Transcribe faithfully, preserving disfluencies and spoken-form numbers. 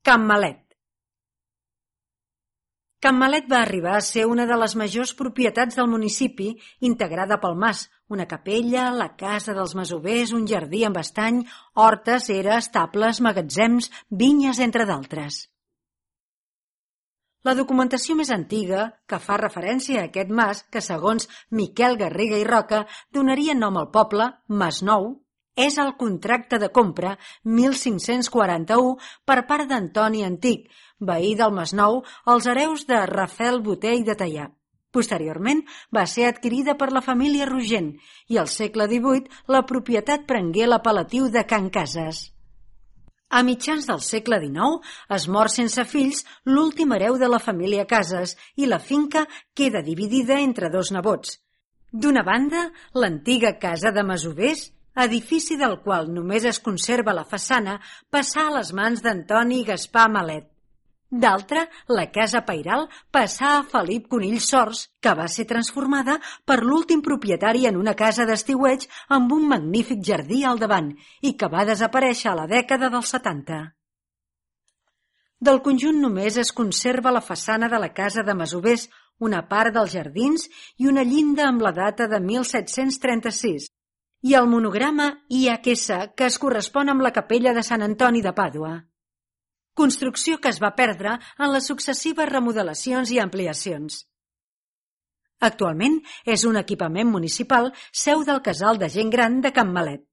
Can Malet. Can Malet va arribar a ser una de les majors propietats del municipi, integrada pel mas, una capella, la casa dels masovers, un jardí amb estany, hortes, era, estables, magatzems, vinyes, entre d'altres. La documentació més antiga, que fa referència a aquest mas, que segons Miquel Garriga i Roca donaria nom al poble, Mas Nou, és el contracte de compra mil cinc-cents quaranta-u per part d'Antoni Antic, veí del Masnou, als hereus de Rafel Botey de Teià. Posteriorment va ser adquirida per la família Rogent i al segle divuit la propietat prengué l'apel·latiu de Can Cases. A mitjans del segle dinou es mor sense fills l'últim hereu de la família Cases i la finca queda dividida entre dos nebots. D'una banda, l'antiga casa de masovers, edifici del qual només es conserva la façana, passà a les mans d'Antoni Gaspar Malet. D'altra, la casa pairal passà a Felip Conill Sors, que va ser transformada per l'últim propietari en una casa d'estiueig amb un magnífic jardí al davant i que va desaparèixer a la dècada dels setanta. Del conjunt només es conserva la façana de la casa de masovers, una part dels jardins i una llinda amb la data de mil set-cents trenta-sis. I el monograma I H S que es correspon amb la capella de Sant Antoni de Pàdua. Construcció que es va perdre en les successives remodelacions i ampliacions. Actualment és un equipament municipal seu del Casal de Gent Gran de Can Malet.